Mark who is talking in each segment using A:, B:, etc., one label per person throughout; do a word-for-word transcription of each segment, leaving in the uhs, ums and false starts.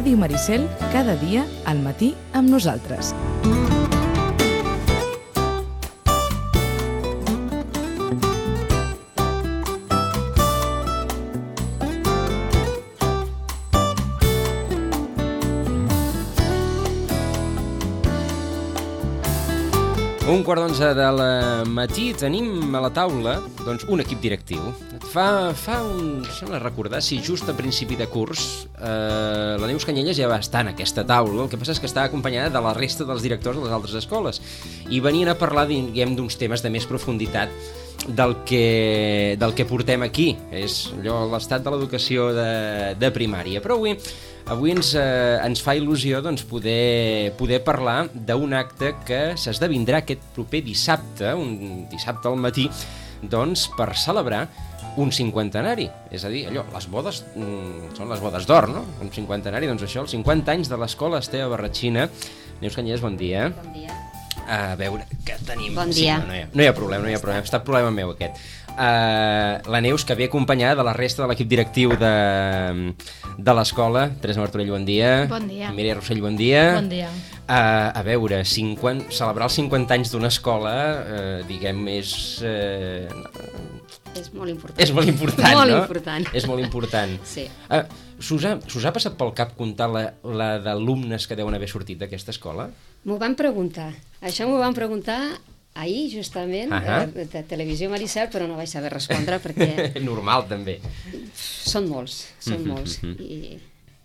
A: Ràdio Maricel, cada dia al matí amb nosaltres.
B: Un quart d'onze del matí tenim a la taula doncs, un equip directiu. Fa, fa un... sembla recordar si just a principi de curs eh, la Neus Canyelles ja va estar en aquesta taula. El que passa és que estava acompanyada de la resta dels directors de les altres escoles i venien a parlar, diguem, d'uns temes de més profunditat del que, del que portem aquí. És allò, l'estat de l'educació de, de primària. Però avui Avui ens, eh, ens fa il·lusió doncs, poder, poder parlar d'un acte que s'esdevindrà aquest proper dissabte, un dissabte al matí, doncs, per celebrar un cinquantenari. És a dir, allò, les bodes, mm, són les bodes d'or, no? Un cinquantenari, doncs això, els cinquanta anys de l'escola Esteve Barratxina. Neus Canyelles, bon dia.
C: Bon dia.
B: A veure, què tenim?
C: Bon dia.
B: Sí, no, no, hi ha, no hi ha problema, no hi ha problema. Ha estat problema meu, aquest. Uh, la Neus, que ve acompanyada de la resta de l'equip directiu de, de l'escola. Teresa Martorell, bon dia.
D: Bon dia.
B: Mireia Rossell, bon dia.
D: Bon dia.
B: Uh, a veure, cinquanta, celebrar els cinquanta anys d'una escola, uh, diguem, és... Uh,
C: és molt important.
B: És molt important,
C: molt
B: no?
C: important.
B: És molt important.
C: Sí.
B: Uh, S'us ha, s'us ha passat pel cap comptar la, la d'alumnes que deuen haver sortit d'aquesta escola?
C: M'ho van preguntar. Això m'ho van preguntar ahir, justament, uh -huh. de, de Televisió Maricel, però no vaig saber respondre perquè...
B: Normal, també.
C: Són molts, són molts. I,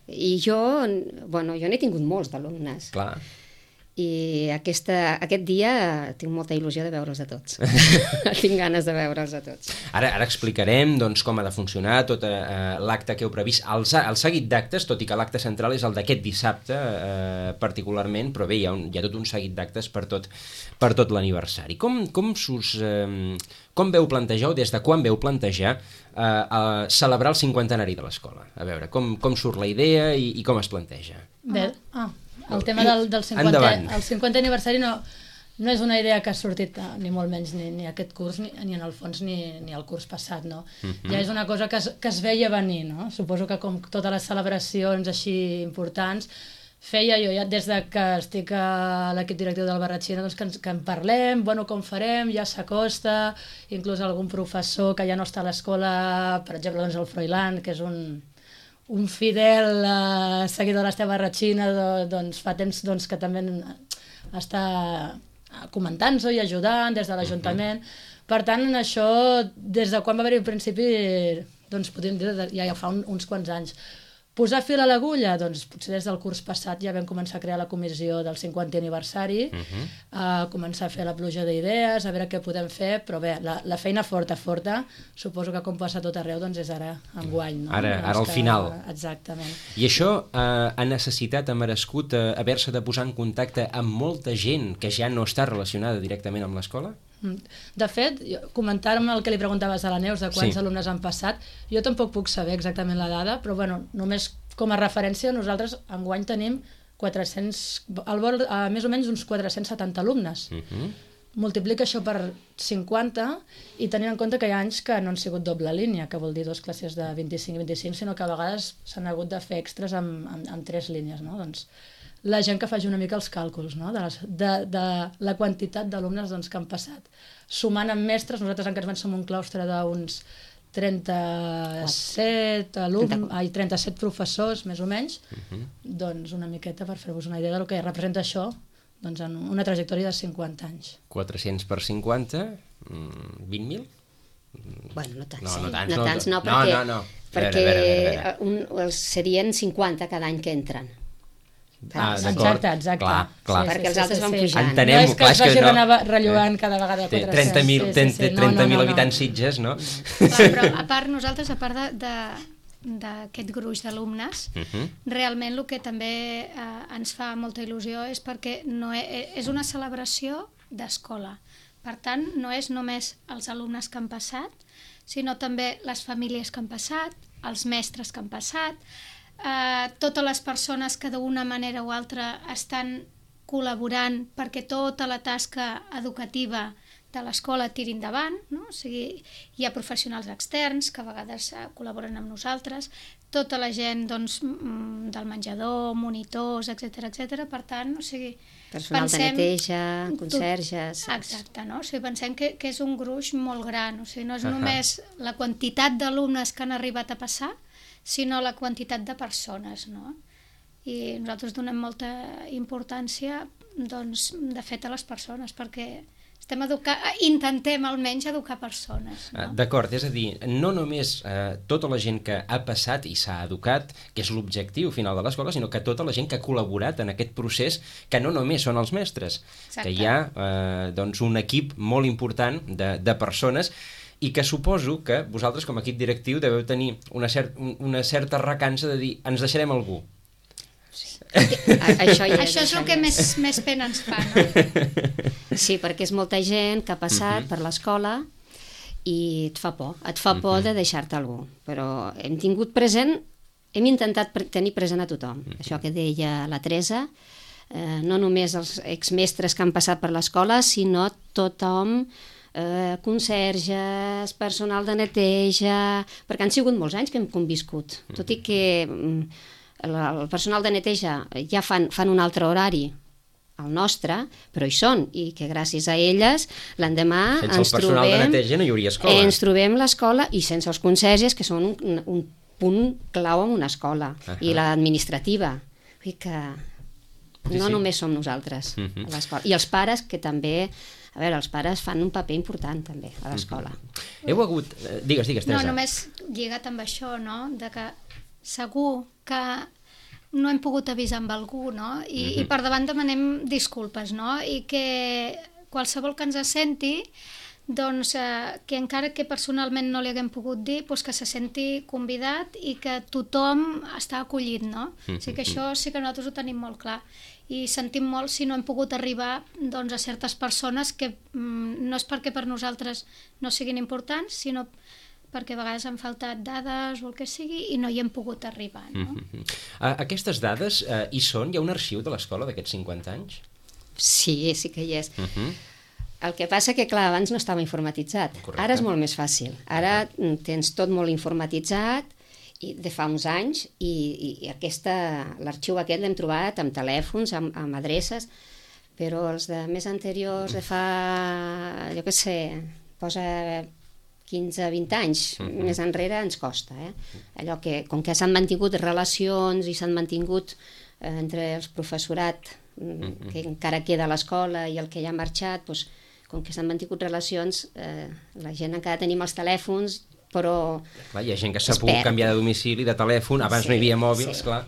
C: i jo, bueno, jo n'he tingut molts d'alumnes.
B: Clar.
C: I aquesta, aquest dia tinc molta il·lusió de veure'ls a tots. Tinc ganes de veure'ls a tots.
B: Ara, ara explicarem doncs, com ha de funcionar tot eh, l'acte que heu previst, el, el seguit d'actes, tot i que l'acte central és el d'aquest dissabte eh, particularment, però bé, hi ha, un, hi ha tot un seguit d'actes per tot, per tot l'aniversari. Com, com, sus, eh, com veu plantejar, o des de quan veu plantejar eh, eh, celebrar el cinquantenari de l'escola? A veure, com, com surt la idea i, i com es planteja?
D: Bé, ah, el tema del, del cinquanta, el cinquanta aniversari no, no és una idea que ha sortit ni molt menys ni, ni aquest curs ni, ni en el fons ni, ni el curs passat, no? Uh-huh. Ja és una cosa que es, que es veia venir, no? Suposo que com totes les celebracions així importants feia jo ja des de que estic a l'equip directiu del Barratxina doncs que, ens, que en parlem, bueno, com farem, ja s'acosta, inclús algun professor que ja no està a l'escola, per exemple doncs el Froilán, que és un un fidel uh, seguidor de l'Esteve Barratxina, doncs fa temps doncs, que també està comentant-s'ho i ajudant des de l'Ajuntament. Uh-huh. Per tant, en això, des de quan va haver-hi al principi, doncs podríem dir ja, ja fa un, uns quants anys. Posar fil a l'agulla? Doncs potser des del curs passat ja vam començar a crear la comissió del cinquantè aniversari, uh-huh. a començar a fer la pluja d'idees, a veure què podem fer, però bé, la, la feina forta, forta, suposo que com passa tot arreu, doncs és ara enguany. No?
B: Ara, ara al
D: que...
B: final.
D: Exactament.
B: I això eh, ha necessitat, ha merescut eh, haver-se de posar en contacte amb molta gent que ja no està relacionada directament amb l'escola?
D: De fet, comentar-me el que li preguntaves a la Neus de quants
B: sí.
D: alumnes han passat, jo tampoc puc saber exactament la dada, però bueno, només com a referència nosaltres enguany tenim quatre-cents, al vol, a més o menys uns quatre-cents setanta alumnes. Uh-huh. Multiplica això per cinquanta i tenint en compte que hi ha anys que no han sigut doble línia, que vol dir dues classes de vint-i-cinc i vint-i-cinc, sinó que a vegades s'han hagut de fer extras amb, amb, amb tres línies, no? Doncs la gent que faci una mica els càlculs, no? de, les, de, de la quantitat d'alumnes doncs, que han passat. Sumant amb mestres, nosaltres en aquest som un claustre d'uns trenta-set alumnes, ai, trenta-set professors, més o menys, uh-huh. doncs una miqueta per fer-vos una idea del que representa això doncs, en una trajectòria de cinquanta anys.
B: quatre-cents per cinquanta, vint mil?
C: Bueno, no tants,
B: no, no,
C: eh?
B: tants,
C: no,
B: no,
C: tants, no,
B: no,
C: perquè,
B: no, no.
C: perquè
B: a veure, a veure, a veure.
C: Un, serien cinquanta cada any que entren.
B: Ah,
D: exacte, exacte.
B: Clar, clar.
C: Sí, perquè els altres
D: sí,
C: van
D: sí,
C: pujant.
B: Entenem,
D: no és que
B: clar,
D: es vagi
B: no.
D: anar rellogant cada vegada quatre cents.
B: trenta mil
D: sí, sí, sí. no, no, no,
B: habitants Sitges, no?
D: Clar,
E: però a part nosaltres, a part d'aquest gruix d'alumnes, uh-huh. realment el que també eh, ens fa molta il·lusió és perquè no és, és una celebració d'escola. Per tant, no és només els alumnes que han passat, sinó també les famílies que han passat, els mestres que han passat, eh, totes les persones que d'una manera o altra estan col·laborant perquè tota la tasca educativa de l'escola tiri endavant, no? O sigui, hi ha professionals externs que a vegades eh, col·laboren amb nosaltres, tota la gent doncs, del menjador, monitors, etcètera, etcètera. Per tant, o sigui,
C: personal pensem, de neteja, conserges...
E: Tot, exacte, no? O sigui, pensem que, que és un gruix molt gran, o sigui, no és uh -huh. només la quantitat d'alumnes que han arribat a passar, sinó la quantitat de persones, no? I nosaltres donem molta importància, doncs, de fet, a les persones, perquè estem educant, intentem almenys educar persones. No?
B: D'acord, és a dir, no només eh, tota la gent que ha passat i s'ha educat, que és l'objectiu final de l'escola, sinó que tota la gent que ha col·laborat en aquest procés, que no només són els mestres, Exacte. que hi ha eh, doncs un equip molt important de, de persones i que suposo que vosaltres com a equip directiu deveu tenir una, cert, una certa recança de dir ens deixarem algú.
E: Això, ja és, això és el que més, més pena ens fa, no?
C: Sí, perquè és molta gent que ha passat uh -huh. per l'escola i et fa por, et fa por uh -huh. de deixar-te algú, però hem tingut present, hem intentat pre tenir present a tothom, uh -huh. això que deia la Teresa, eh, no només els exmestres que han passat per l'escola, sinó tothom, eh, conserges, personal de neteja, perquè han sigut molts anys que hem conviscut, uh -huh. tot i que el personal de neteja ja fan, fan un altre horari al nostre, però hi són, i que gràcies a elles l'endemà
B: ens trobem...
C: Sense
B: el personal de neteja no hi hauria escola.
C: Ens trobem l'escola i sense els conserges, que són un, un punt clau en una escola, uh -huh. i l'administrativa. Vull dir que sí, no sí. només som nosaltres uh -huh. a l'escola. I els pares, que també... A veure, els pares fan un paper important també a l'escola. Uh -huh.
B: Heu hagut... Digues, digues, Teresa.
E: No, només lligat amb això, no?, de que segur que no hem pogut avisar amb algú, no? I, mm-hmm. i per davant demanem disculpes, no? I que qualsevol que ens senti, doncs, eh, que encara que personalment no li haguem pogut dir, doncs que se senti convidat i que tothom està acollit, no? Mm-hmm. O sigui que això sí que nosaltres ho tenim molt clar. I sentim molt si no hem pogut arribar, doncs, a certes persones que mm, no és perquè per nosaltres no siguin importants, sinó perquè a vegades han faltat dades o el que sigui i no hi hem pogut arribar, no?
B: Mm-hmm. Aquestes dades eh, hi són? Hi ha un arxiu de l'escola d'aquests cinquanta anys?
C: Sí, sí que hi és. Mm-hmm. El que passa que, clar, abans no estava informatitzat. Correcte. Ara és molt més fàcil. Ara uh-huh. tens tot molt informatitzat i de fa uns anys i, i aquesta, l'arxiu aquest l'hem trobat amb telèfons, amb, amb adreces, però els de més anteriors, de fa, jo què sé, posa quinze vint anys uh-huh. més enrere, ens costa. Eh? Allò que, com que s'han mantingut relacions i s'han mantingut eh, entre els professorat uh-huh. que encara queda a l'escola i el que ja ha marxat, doncs, com que s'han mantingut relacions, eh, la gent encara tenim els telèfons, però...
B: Clar, hi ha gent que s'ha pogut canviar de domicili, de telèfon, abans sí, no hi havia mòbils, sí. clar.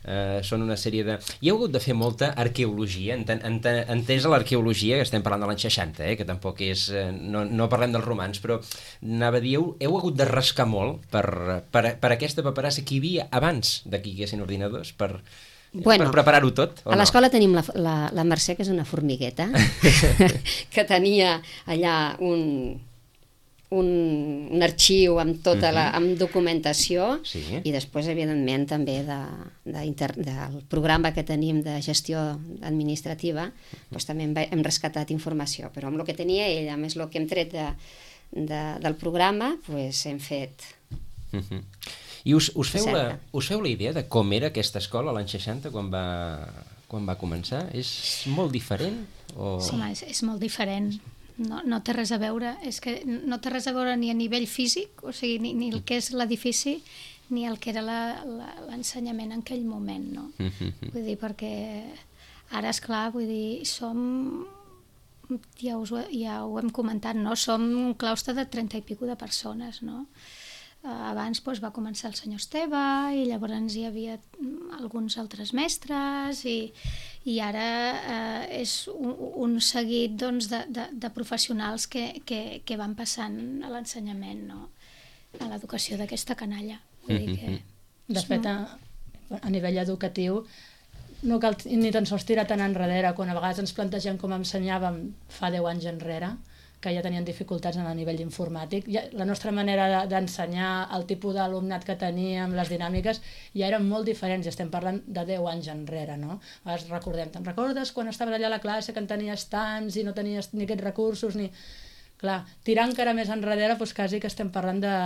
B: Uh, són una sèrie de... Hi ha hagut de fer molta arqueologia, enten, enten, entesa l'arqueologia, que estem parlant de l'any seixanta, eh, que tampoc és... Eh, no, no parlem dels romans, però anava a dir, heu, heu hagut de rascar molt per, per, per aquesta paperassa que hi havia abans de que hi haguessin ordinadors, per...
C: Bueno,
B: per preparar-ho tot, o
C: a
B: no?
C: l'escola tenim la, la, la Mercè, que és una formigueta, que tenia allà un, un, un arxiu amb tota la, amb documentació, sí. i després, evidentment, també de, de inter, del programa que tenim de gestió administrativa, doncs també hem, hem rescatat informació, però amb el que tenia ell, a més el que hem tret de, de, del programa, doncs hem fet...
B: Uh-huh. I us, us, feu la, us feu la idea de com era aquesta escola l'any seixanta quan va, quan va començar? És molt diferent? O...
E: Sí, és, és molt diferent. No, no té res a veure. És que no té res a veure ni a nivell físic, o sigui, ni, ni el que és l'edifici, ni el que era l'ensenyament en aquell moment, no? Vull dir, perquè ara, esclar, vull dir, som... Ja, us, ja ho hem comentat, no? Som un claustre de trenta i pico de persones, no? Abans doncs, va començar el senyor Esteve i llavors hi havia alguns altres mestres i, i ara eh, és un, un seguit doncs, de, de, de professionals que, que, que van passant a l'ensenyament, no? A l'educació d'aquesta canalla. Vull dir que
D: de fet, a, a nivell educatiu no cal ni tan sols tirar tan enrere quan a vegades ens plantegem com ensenyàvem fa deu anys enrere, que ja tenien dificultats en el nivell informàtic. Ja, la nostra manera d'ensenyar, el tipus d'alumnat que teníem, les dinàmiques, ja eren molt diferents, i estem parlant de deu anys enrere, no? A vegades recordem, te'n recordes quan estaves allà a la classe que en tenies tants i no tenies ni aquests recursos, ni... Clar, tirar encara més enrere, doncs quasi que estem parlant de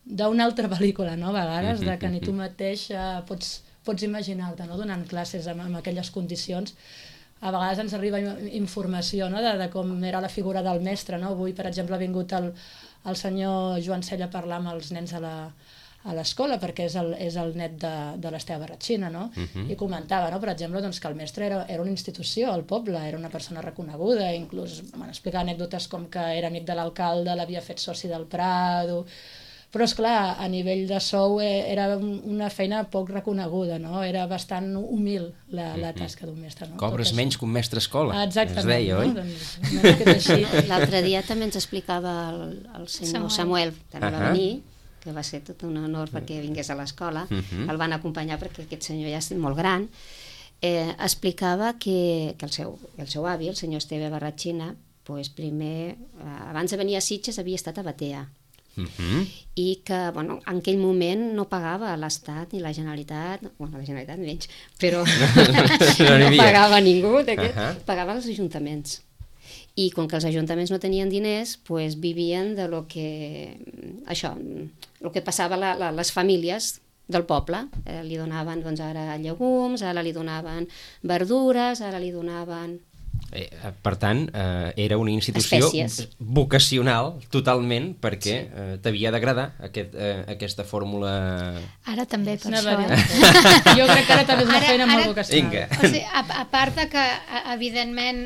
D: d'una altra pel·lícula, no? A vegades, de que ni tu mateix eh, pots, pots imaginar-te, no? Donant classes amb, amb aquelles condicions. A vegades ens arriba informació, no? de, de com era la figura del mestre, no? Avui, per exemple, ha vingut el, el senyor Joan Cella a parlar amb els nens a la, a l'escola, perquè és el, és el net de, de l'Esteve Barratxina, no? Uh-huh. I comentava, no? Per exemple, doncs, que el mestre era, era una institució al poble, era una persona reconeguda, inclús van explicar anècdotes com que era amic de l'alcalde, l'havia fet soci del Prado... Però, esclar, a nivell de sou era una feina poc reconeguda, no? Era bastant humil la, la tasca d'un mestre. No?
B: Cobres menys que un mestre escola,
D: ah, exactament,
B: es deia,
D: no?
B: oi?
D: Doncs,
C: l'altre dia també ens explicava el, el senyor Samuel, també va venir, que va ser tot un honor perquè vingués a l'escola, uh-huh. El van acompanyar perquè aquest senyor ja és molt gran, eh, explicava que, que el, seu, el seu avi, el senyor Esteve Barratxina, pues primer, eh, abans de venir a Sitges havia estat a Batea, Uh-huh. i que bueno, en aquell moment no pagava l'Estat ni la Generalitat, bueno, la Generalitat menys, però no, no pagava ningú, uh-huh. Pagaven els ajuntaments. I com que els ajuntaments no tenien diners, pues vivien de lo que, això, el que passava a la, la, les famílies del poble. Eh, li donaven doncs, ara llegums, ara li donaven verdures, ara li donaven...
B: Eh, per tant, eh, era una institució
C: espècies.
B: Vocacional totalment perquè eh, t'havia d'agradar aquest, eh, aquesta fórmula...
E: Ara també, per
D: no,
E: això.
D: Jo crec que ara també és una
E: ara,
D: feina
E: ara,
D: molt vocacional.
B: Vinga.
E: O sigui, a, a part de que, evidentment,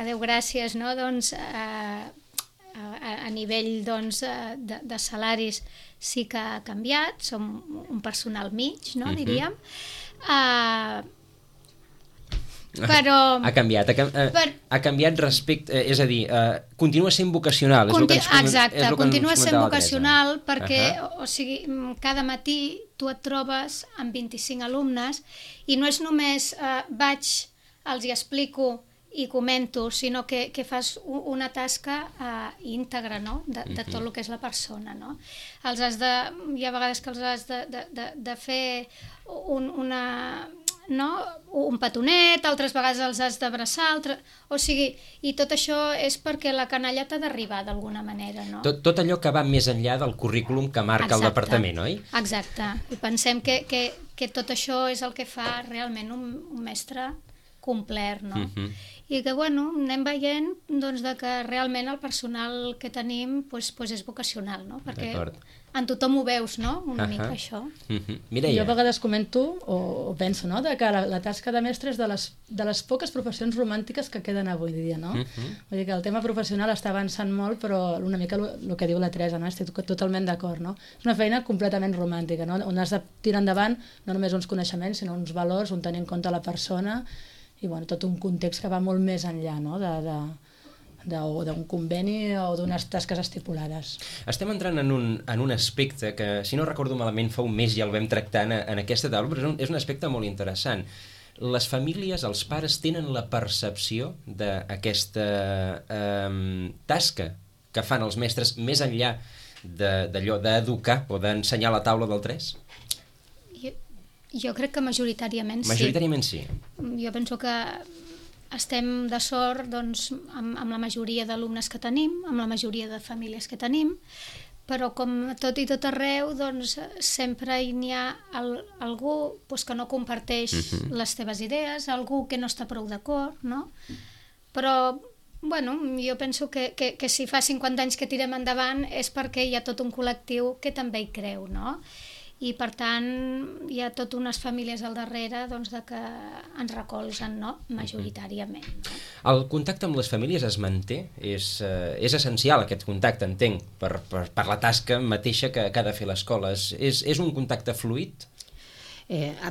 E: adeu gràcies, no? Doncs, a, a, a nivell doncs, de, de salaris sí que ha canviat, som un personal mig, no? Diríem. Uh, Però...
B: Ha canviat, ha, eh, per... ha canviat respecte, eh, és a dir, eh, continua sent vocacional.
E: Conti...
B: És el que ens,
E: Exacte,
B: és el que
E: continua sent vocacional perquè,
B: uh-huh.
E: o sigui, cada matí tu et trobes amb vint-i-cinc alumnes i no és només eh, vaig, els hi explico i comento, sinó que, que fas una tasca eh, íntegra, no? de, de tot el que és la persona. No? Els has de, hi ha vegades que els has de, de, de, de fer un, una... no? un petonet, altres vegades els has d'abraçar, altre... o sigui, i tot això és perquè la canalla t'ha d'arribar d'alguna manera, no?
B: Tot, tot allò que va més enllà del currículum que marca Exacte. El departament, oi?
E: Exacte, i pensem que, que, que tot això és el que fa realment un, un mestre complet, no? Uh-huh. I que, bueno, anem veient doncs, de que realment el personal que tenim pues, pues és vocacional, no? Perquè en tothom ho veus, no? Una uh-huh. mica això.
B: Uh-huh. Mireia.
D: Jo a vegades comento, o, o penso, no? De que la, la tasca de mestre és de les, de les poques professions romàntiques que queden avui dia, no? Uh-huh. Vull dir que el tema professional està avançant molt, però una mica el que diu la Teresa, no? Estic totalment d'acord, no? És una feina completament romàntica, no? On has de tirar endavant no només uns coneixements, sinó uns valors, on tenir en compte la persona i bueno, tot un context que va molt més enllà, no? de, de, de, o d'un conveni o d'unes tasques estipulades.
B: Estem entrant en un, en un aspecte que, si no recordo malament, fa un mes ja el vam tractar en, en aquesta taula, però és un, és un aspecte molt interessant. Les famílies, els pares, tenen la percepció d'aquesta eh, tasca que fan els mestres més enllà d'allò d'educar o d'ensenyar la taula del tres?
E: Jo crec que majoritàriament sí.
B: Majoritàriament sí.
E: Jo penso que estem de sort doncs, amb, amb la majoria d'alumnes que tenim, amb la majoria de famílies que tenim, però com tot i tot arreu, doncs, sempre hi ha el, algú doncs, que no comparteix uh-huh. les teves idees, algú que no està prou d'acord, no? Però bueno, jo penso que, que, que si fa cinquanta anys que tirem endavant és perquè hi ha tot un col·lectiu que també hi creu, no? I per tant hi ha totes unes famílies al darrere doncs, de que ens recolzen, no? Majoritàriament. No?
B: El contacte amb les famílies es manté? És, eh, és essencial aquest contacte, entenc, per, per, per la tasca mateixa que, que ha de fer l'escola. És, és un contacte fluid?
C: Eh, a,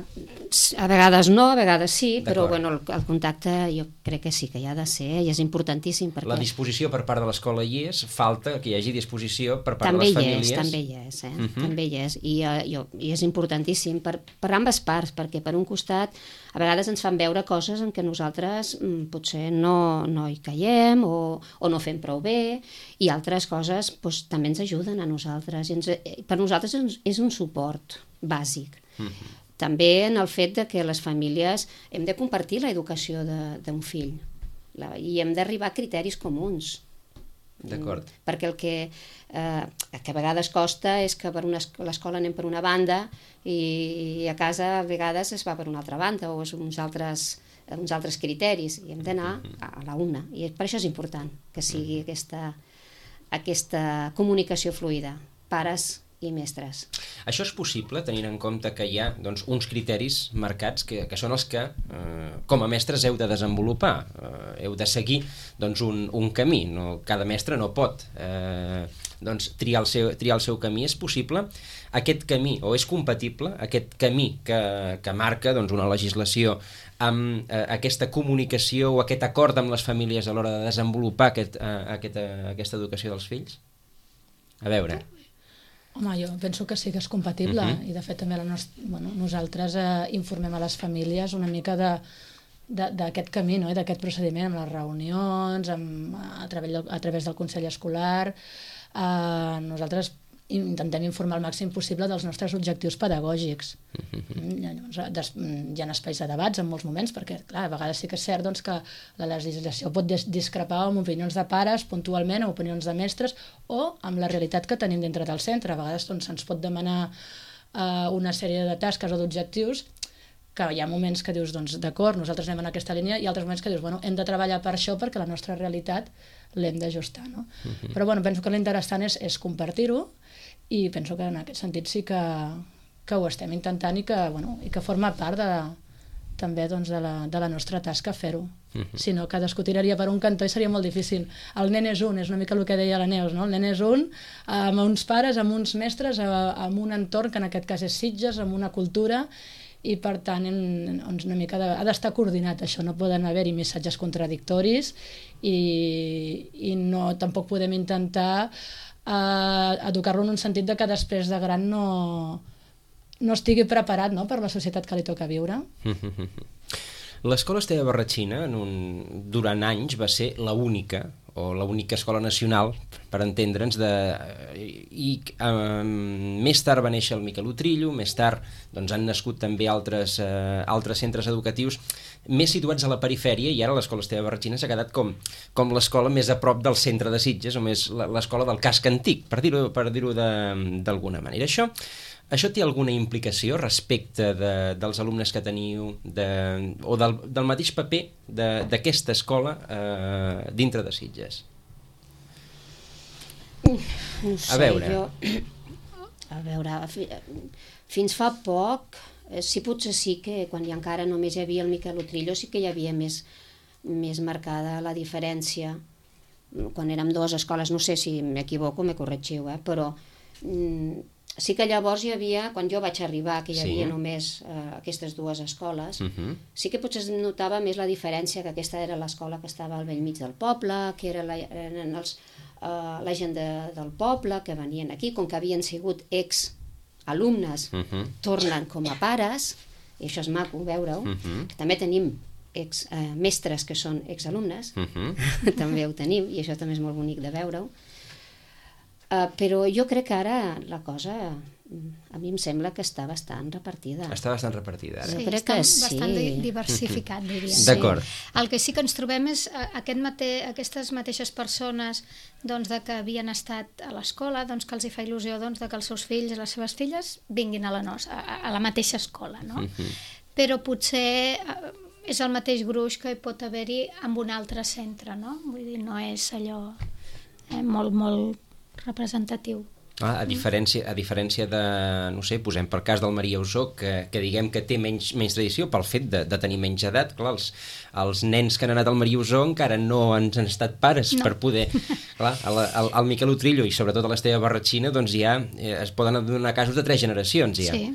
C: a vegades no, a vegades sí, però bueno, el, el contacte jo crec que sí que hi ha de ser i és importantíssim perquè...
B: La disposició per part de l'escola hi és, falta que hi hagi disposició per part
C: també
B: de les famílies.
C: És, també hi és, eh? Uh-huh. També hi és, i, uh, jo, i és importantíssim per, per ambes parts, perquè per un costat a vegades ens fan veure coses en què nosaltres mm, potser no, no hi caiem o, o no fem prou bé, i altres coses doncs, també ens ajuden a nosaltres, i ens, per nosaltres és, és un suport bàsic. Uh-huh. També en el fet de que les famílies hem de compartir l'educació d'un fill la, i hem d'arribar a criteris comuns.
B: D'acord.
C: Mm, perquè el que, eh, que a vegades costa és que per una, l'escola anem per una banda i a casa a vegades es va per una altra banda o és uns altres, uns altres criteris i hem d'anar a la una. I per això és important que sigui aquesta, aquesta comunicació fluida, pares i mestres.
B: Això és possible tenint en compte que hi ha doncs, uns criteris marcats que, que són els que eh, com a mestres heu de desenvolupar, eh, heu de seguir doncs, un, un camí, no, cada mestre no pot eh, doncs, triar, el seu, triar el seu camí. És possible aquest camí, o és compatible aquest camí que, que marca doncs, una legislació amb eh, aquesta comunicació o aquest acord amb les famílies a l'hora de desenvolupar aquest, eh, aquesta, aquesta educació dels fills? A veure...
D: Home, jo penso que sí que és compatible uh-huh. i de fet també la nostra, bueno, nosaltres eh, informem a les famílies una mica de d'aquest camí, no? I d'aquest procediment amb les reunions, amb, a, través, a través del Consell Escolar. Eh, nosaltres intentem informar el màxim possible dels nostres objectius pedagògics. Uh-huh. Llavors, hi ha espais de debats en molts moments, perquè clar, a vegades sí que és cert doncs, que la legislació pot discrepar amb opinions de pares puntualment, o opinions de mestres, o amb la realitat que tenim dintre del centre. A vegades doncs, se'ns pot demanar uh, una sèrie de tasques o d'objectius que hi ha moments que dius, doncs d'acord, nosaltres anem en aquesta línia, i altres moments que dius, bueno, hem de treballar per això perquè la nostra realitat l'hem d'ajustar, no? Uh-huh. Però bueno, penso que l'interessant és, és compartir-ho, i penso que en aquest sentit sí que, que ho estem intentant i que, bueno, i que forma part de, també doncs, de, la, de la nostra tasca fer-ho. Uh-huh. Si no, cadascú tiraria per un cantó i seria molt difícil. El nen és un, és una mica el que deia la Neus, no? El nen és un, amb uns pares, amb uns mestres, amb un entorn que en aquest cas és Sitges, amb una cultura, i per tant en, una mica de, ha d'estar coordinat això, no poden haver-hi missatges contradictoris i, i no, tampoc podem intentar eh, educar-lo en un sentit de que després de gran no, no estigui preparat, no?, per la societat que li toca viure.
B: L'escola Esteve Barratxina en un, durant anys va ser la única o l'única escola nacional, per entendre'ns, de, i um, més tard va néixer el Miquel Utrillo, més tard doncs, han nascut també altres, uh, altres centres educatius més situats a la perifèria, i ara l'escola Esteve Barratxina s'ha quedat com, com l'escola més a prop del centre de Sitges, o més l'escola del casc antic, per dir-ho per dir-ho d'alguna manera. Això Això té alguna implicació respecte de, dels alumnes que teniu de, o del, del mateix paper d'aquesta escola eh, dintre de Sitges?
C: No sé, a veure. Jo, a veure, fins fa poc, sí, potser sí que quan ja encara només hi havia el Miquel Utrillo sí que hi havia més, més marcada la diferència. Quan érem dues escoles, no sé si m'equivoco, me corregiu, eh, però... Mm, sí que llavors hi havia, quan jo vaig arribar, que hi havia sí. només eh, aquestes dues escoles, uh-huh. sí que potser es notava més la diferència, que aquesta era l'escola que estava al bell mig del poble, que era la, eren els, uh, la gent de, del poble que venien aquí, com que havien sigut ex-alumnes, uh-huh. tornen com a pares, i això és maco veure-ho, uh-huh. que també tenim ex, eh, mestres que són ex-alumnes, uh-huh. també ho tenim, i això també és molt bonic de veure-ho. Uh, però jo crec que ara la cosa, a mi em sembla que està bastant repartida.
B: Està bastant repartida, ara.
E: Sí,
C: jo crec
E: està
C: que sí.
E: bastant diversificat, diria.
B: Sí. D'acord.
E: El que sí que ens trobem és aquest mate... aquestes mateixes persones doncs, de que havien estat a l'escola, doncs, que els hi fa il·lusió doncs, de que els seus fills i les seves filles vinguin a la, nostra, a la mateixa escola, no? Uh-huh. Però potser és el mateix gruix que hi pot haver-hi amb un altre centre, no? Vull dir, no és allò eh, molt, molt representatiu.
B: Ah, a diferència, a diferència de, no sé, posem per cas del Maria Usó, que, que diguem que té menys, menys tradició pel fet de, de tenir menys edat, clar, els, els nens que han anat al Maria Usó encara no han, han estat pares no. per poder... Clar, al, al, al Miquel Utrillo i sobretot a l'Esteve Barratxina, doncs ja eh, es poden donar casos de tres generacions, ja.
E: Sí.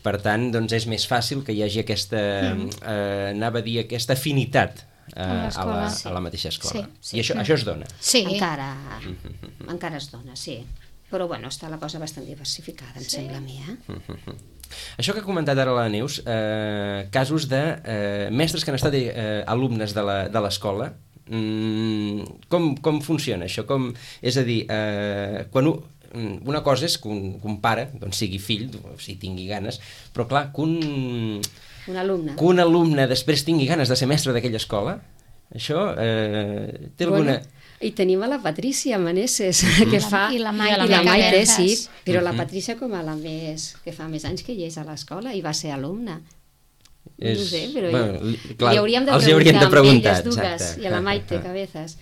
B: Per tant, doncs és més fàcil que hi hagi aquesta, mm. eh, anava a dir, aquesta afinitat eh, a, la, a la mateixa escola. Sí, sí. I això, mm. això es dona?
C: Sí. Encara, mm-hmm. encara es dona, sí. Però bueno, està la cosa bastant diversificada, em sí. sembla a mi, eh? Mm-hmm.
B: Això que ha comentat ara la Neus, eh, casos de eh, mestres que han estat eh, alumnes de l'escola, mm, com, com funciona això? Com, és a dir, eh, quan un, una cosa és que un, que un pare doncs, sigui fill, o sigui, tingui ganes, però clar, que un,
C: un, alumne.
B: que un alumne després tingui ganes de ser mestre d'aquella escola, això eh, té alguna...
C: Bueno. I tenim a la Patrícia Maneses, mm. que fa...
E: I la Maite,
C: I la Maite sí, però la Patrícia com a la més... que fa més anys que hi és a l'escola i va ser alumna. És... No sé, però bueno, ja... clar, li hauríem de
B: els
C: preguntar,
B: hauríem de preguntar
C: elles dues, i a la Maite Cabezas.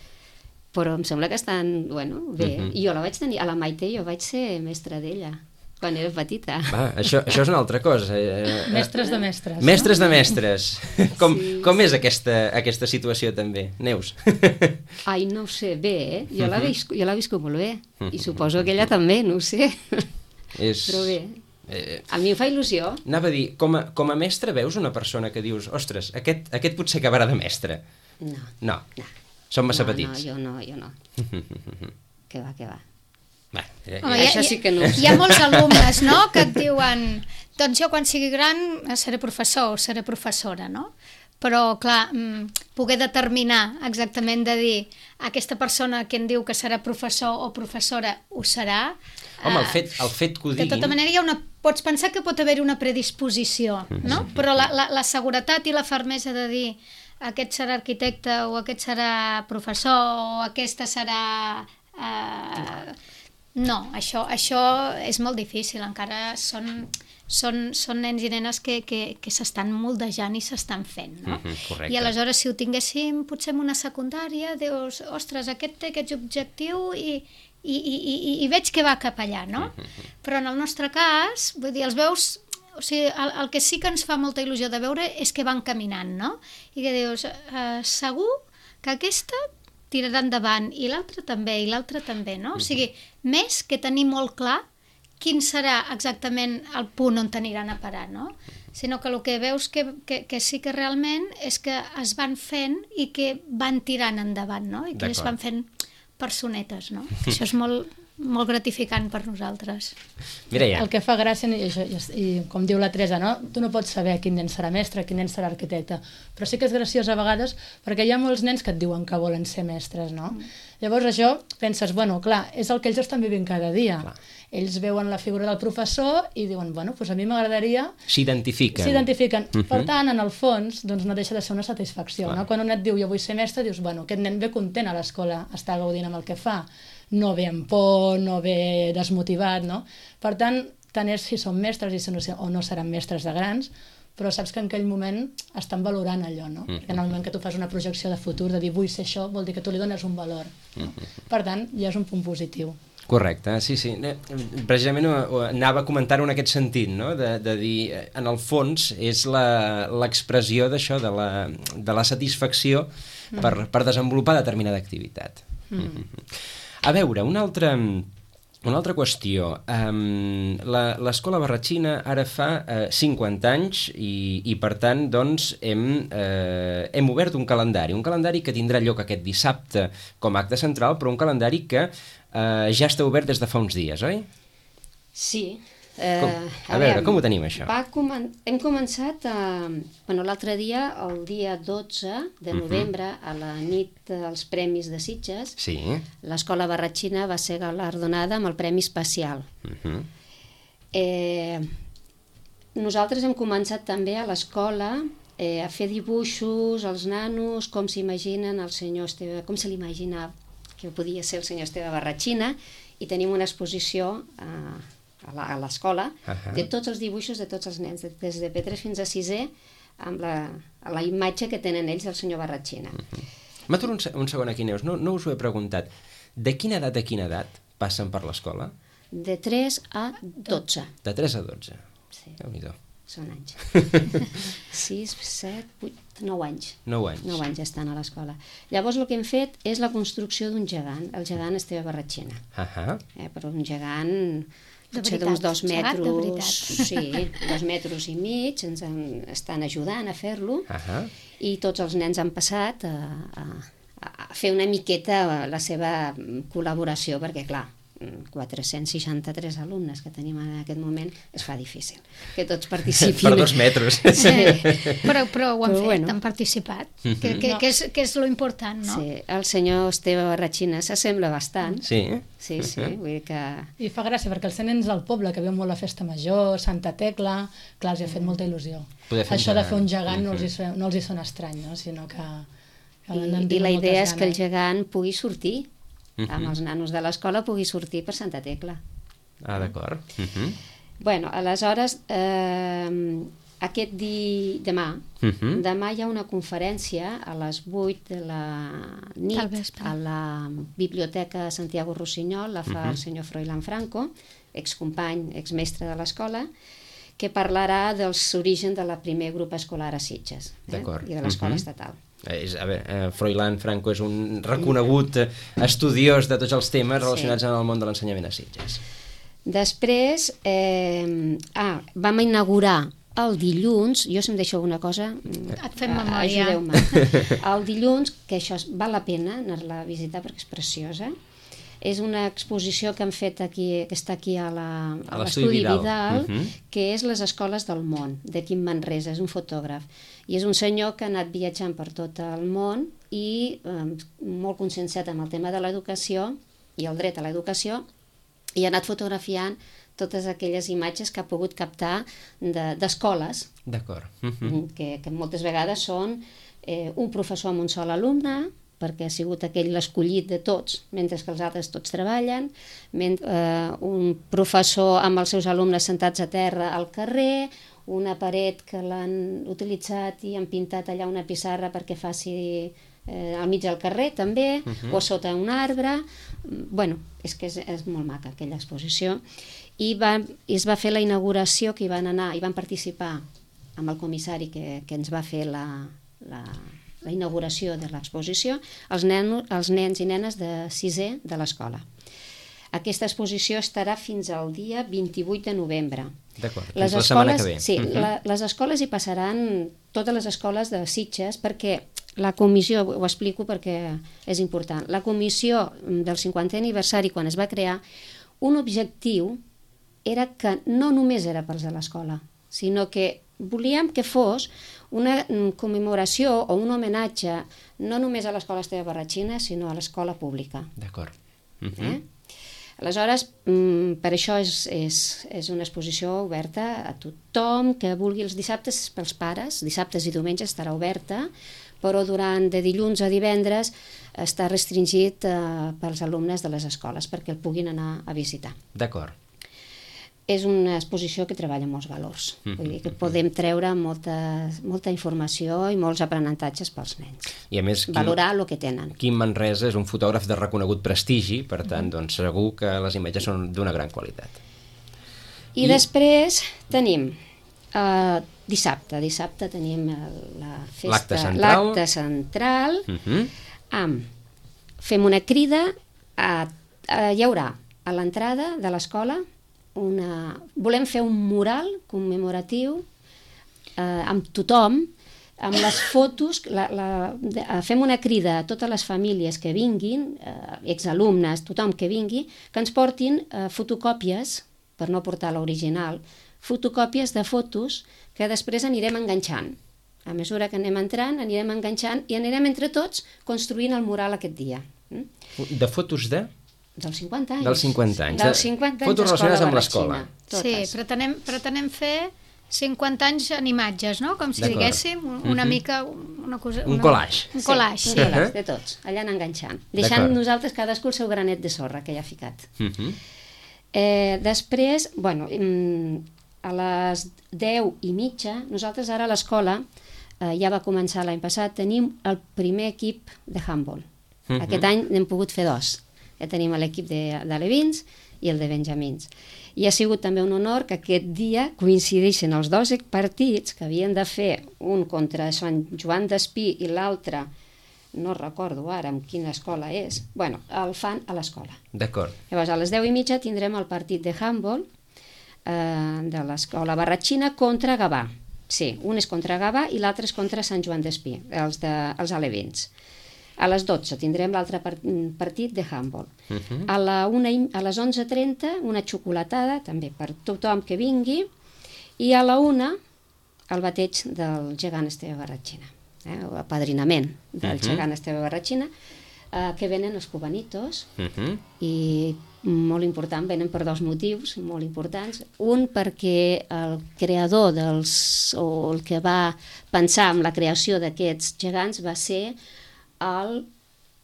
C: Però em sembla que estan, bueno, bé. Mm-hmm. I jo la vaig tenir, a la Maite jo vaig ser mestra d'ella, quan era petita.
B: Va, això, això és una altra cosa.
D: Mestres de mestres.
B: Mestres
D: no?
B: de mestres. Com,
C: sí.
B: com és aquesta, aquesta situació també, Neus?
C: Ai, no ho sé, bé, eh? Jo l'he viscut, jo l'he viscut molt bé. I suposo que ella també, no ho sé.
B: És...
C: Però bé. Eh, a mi em fa il·lusió.
B: Anava a dir, com a, com a mestre veus una persona que dius, ostres, aquest, aquest potser acabarà de mestre?
C: No.
B: No.
C: No.
B: Són massa
C: no,
B: petits.
C: No, jo no, jo no. Que va, que va.
B: Va, ja,
C: Home, ja, això sí que no.
E: Hi ha molts alumnes, no?, que et diuen, doncs jo quan sigui gran seré professor o seré professora, no? Però, clar, poder determinar exactament de dir aquesta persona que em diu que serà professor o professora ho serà...
B: Home, el fet, el fet que ho diguin...
E: De tota manera, hi ha una, pots pensar que pot haver-hi una predisposició, no? Però la, la, la seguretat i la fermesa de dir aquest serà arquitecte o aquest serà professor o aquesta serà... Eh... No, això, això és molt difícil, encara són, són, són nens i nenes que, que, que s'estan moldejant i s'estan fent, no?
B: Mm-hmm,
E: I aleshores si ho tinguéssim potser en una secundària, dius, ostres, aquest té aquest objectiu i, i, i, i, i veig que va cap allà, no? Mm-hmm. Però en el nostre cas, vull dir, els veus... O sigui, el, el que sí que ens fa molta il·lusió de veure és que van caminant, no? I que dius, eh, segur que aquesta tirarà endavant, i l'altra també, i l'altra també, no? O sigui, més que tenir molt clar quin serà exactament el punt on t'aniran a parar, no? Sinó que el que veus que, que, que sí que realment és que es van fent i que van tirant endavant, no? I que es van fent personetes, no? Això és molt... molt gratificant per nosaltres.
B: Mireia.
D: El que fa gràcia, i, i, i com diu la Teresa, no? Tu no pots saber quin nen serà mestre, quin nen serà arquitecte, però sí que és graciós a vegades perquè hi ha molts nens que et diuen que volen ser mestres, no? Mm. Llavors això, penses, bueno, clar, és el que ells estan vivint cada dia. Clar. Ells veuen la figura del professor i diuen, bueno, doncs a mi m'agradaria...
B: S'identifiquen.
D: S'identifiquen. Uh-huh. Per tant, en el fons, doncs no deixa de ser una satisfacció, clar. No? Quan un et diu, jo vull ser mestre, dius, bueno, aquest nen ve content a l'escola, està gaudint amb el que fa, no ve amb por, no ve desmotivat, no? Per tant, tant és si són mestres i si no, o no seran mestres de grans, però saps que en aquell moment estan valorant allò, no? Mm-hmm. En el moment que tu fas una projecció de futur, de dir vull ser això, vol dir que tu li dones un valor. Mm-hmm. Per tant, ja és un punt positiu.
B: Correcte, sí, sí. Precisament anava a comentar-ho en aquest sentit, no? De, de dir, en el fons, és l'expressió d'això, de, la, de la satisfacció mm. per, per desenvolupar determinada activitat. Mm. Mm-hmm. A veure, una altra, una altra qüestió. Um, l'Escola Barratxina ara fa uh, cinquanta anys i, i per tant, doncs, hem, uh, hem obert un calendari, un calendari que tindrà lloc aquest dissabte com a acte central, però un calendari que uh, ja està obert des de fa uns dies, oi?
C: Sí. Eh,
B: com? A, a veure, com ho tenim, això?
C: Va comen hem començat a, bueno, l'altre dia, el dia dotze de novembre, uh-huh. a la nit dels Premis de Sitges,
B: sí.
C: l'Escola Barratxina va ser galardonada amb el Premi Especial. Uh-huh. eh, nosaltres hem començat també a l'escola eh, a fer dibuixos als nanos, com s'imaginen el senyor Esteve, com se l'imagina que podia ser el senyor Esteve Barratxina, i tenim una exposició eh, a l'escola, uh-huh. de tots els dibuixos de tots els nens, des de P tres fins a sisè, amb la, la imatge que tenen ells del senyor Barratxina. Uh-huh.
B: M'aturo un, un segon aquí, Neus, no, no us ho he preguntat. De quina edat a quina edat passen per l'escola?
C: De tres a dotze.
B: De tres a dotze.
C: Sí.
B: Déu-n'hi-do.
C: Són anys. sis, set, vuit, nou anys.
B: Nou anys.
C: Nou anys estan a l'escola. Llavors el que hem fet és la construcció d'un gegant, el gegant Esteve Barratxina.
B: Uh-huh.
C: eh, però un gegant potser d'uns dos metres, sí, dos metres i mig, ens en, estan ajudant a fer-lo, uh -huh. i tots els nens han passat a, a, a fer una miqueta la seva col·laboració, perquè clar, quatre-cents seixanta-tres alumnes que tenim en aquest moment, es fa difícil que tots participin.
B: Per dos metres.
E: Sí, però, però ho han
C: però
E: fet,
C: bueno.
E: han participat, que, que, no. que, és, que és lo important, no?
C: Sí, el senyor Esteve Barratxina s'assembla bastant.
B: Sí?
C: Sí, sí, vull dir que...
D: I fa gràcia, perquè els nens del poble, que veuen molt la festa major, Santa Tecla, clar, els hi ha fet molta il·lusió. Això de fer un gegant no els hi, no els hi sona estrany, no? Sinó que... que
C: I, I la idea és que el gegant pugui sortir, Uh-huh. amb els nanos de l'escola pugui sortir per Santa Tecla.
B: Ah, d'acord. Uh-huh.
C: Bueno, aleshores, eh, aquest di... demà, uh-huh. demà hi ha una conferència a les vuit de la nit a la Biblioteca Santiago Rossinyol, la fa uh-huh. el senyor Froilán Franco, excompany, exmestre de l'escola, que parlarà dels orígens de la primer grup escolar a Sitges, eh? I de l'escola uh-huh. estatal.
B: És, a veure, Froilán Franco és un reconegut estudiós de tots els temes relacionats sí. amb el món de l'ensenyament a Sitges.
C: Després, eh, ah, vam inaugurar el dilluns, jo si em deixo alguna cosa,
E: et fem memòria.
C: Ajudeu-me. El dilluns, que això val la pena anar-la a visitar perquè és preciosa, és una exposició que han fet aquí, que està aquí a l'Estudi Vidal, Vidal uh-huh. que és les escoles del món, de Quim Manresa, és un fotògraf. I és un senyor que ha anat viatjant per tot el món i eh, molt conscienciat amb el tema de l'educació i el dret a l'educació, i ha anat fotografiant totes aquelles imatges que ha pogut captar d'escoles, de,
B: D'acord. Uh-huh.
C: que, que moltes vegades són eh, un professor amb un sol alumne, perquè ha sigut aquell l'escollit de tots, mentre que els altres tots treballen, mentre, eh, un professor amb els seus alumnes sentats a terra al carrer, una paret que l'han utilitzat i han pintat allà una pissarra perquè faci eh, al mig del carrer també, uh-huh. o sota un arbre. Bueno, és que és, és molt maca aquella exposició. I, va, i es va fer la inauguració, que hi van anar, hi van participar amb el comissari que, que ens va fer la... la la inauguració de l'exposició, els, nen, els nens i nenes de sisè de l'escola. Aquesta exposició estarà fins al dia vint-i-vuit de novembre.
B: D'acord,
C: fins
B: la setmana que ve.
C: Sí, uh-huh. la, les escoles hi passaran, totes les escoles de Sitges, perquè la comissió, ho explico perquè és important, la comissió del cinquantè aniversari, quan es va crear, un objectiu era que no només era pels de l'escola, sinó que volíem que fos una commemoració o un homenatge no només a l'escola Esteve Barratxina, sinó a l'escola pública.
B: D'acord. Uh -huh.
C: eh? Aleshores, per això és, és, és una exposició oberta a tothom que vulgui. Els dissabtes pels pares, dissabtes i diumenges estarà oberta, però durant de dilluns a divendres està restringit eh, pels alumnes de les escoles perquè el puguin anar a visitar.
B: D'acord.
C: És una exposició que treballa molts valors. Mm-hmm. Vull dir que podem treure molta, molta informació i molts aprenentatges pels nens.
B: I a més, Quim,
C: valorar el que tenen.
B: Quim Manresa és un fotògraf de reconegut prestigi, per tant, mm-hmm. doncs, segur que les imatges són d'una gran qualitat.
C: I, I... després tenim uh, dissabte. Dissabte tenim la festa,
B: l'acte central,
C: l'acte central
B: mm-hmm.
C: amb fem una crida a, a, hi haurà a l'entrada de l'escola una... volem fer un mural commemoratiu eh, amb tothom, amb les fotos, la, la, de, fem una crida a totes les famílies que vinguin, eh, exalumnes, tothom que vingui, que ens portin eh, fotocòpies, per no portar l'original, fotocòpies de fotos que després anirem enganxant. A mesura que anem entrant, anirem enganxant i anirem entre tots construint el mural aquest dia.
B: De fotos de?
C: Dels cinquanta anys.
B: Dels cinquanta anys.
C: Dels cinquanta anys
B: fotos relacionades amb l'escola.
E: Sí, pretenem, pretenem fer cinquanta anys en imatges, no? Com si diguéssim, una
B: mm-hmm.
E: mica una cosa...
B: Un
E: una...
B: collage.
E: Un collage,
C: sí.
E: sí.
C: Un collage de tots, allà anant enganxant. Deixant nosaltres cadascú el seu granet de sorra que hi ha ficat.
B: Mm-hmm.
C: eh, després, bueno, a les deu i mitja, nosaltres ara a l'escola, eh, ja va començar l'any passat, tenim el primer equip de handball. Mm-hmm. Aquest any n'hem pogut fer dos. Ja tenim l'equip d'alevins i el de benjamins. I ha sigut també un honor que aquest dia coincideixen els dos partits que havien de fer, un contra Sant Joan d'Espí i l'altre, no recordo ara en quina escola és, bueno, el fan a l'escola.
B: D'acord.
C: Llavors, a les deu i mitja tindrem el partit de handball eh, de l'escola Barratxina contra Gavà. Sí, un és contra Gavà i l'altre és contra Sant Joan d'Espí, els, de, els alevins. A les dotze tindrem l'altre partit de handball. Uh -huh. a, la una, a les onze trenta una xocolatada, també per tothom que vingui, i a la una el bateig del gegant Esteve Barratxina, eh? o apadrinament del uh -huh. gegant Esteve Barratxina, eh, que venen els cubanitos, uh -huh. i molt important, venen per dos motius molt importants. Un, perquè el creador dels, o el que va pensar en la creació d'aquests gegants va ser el,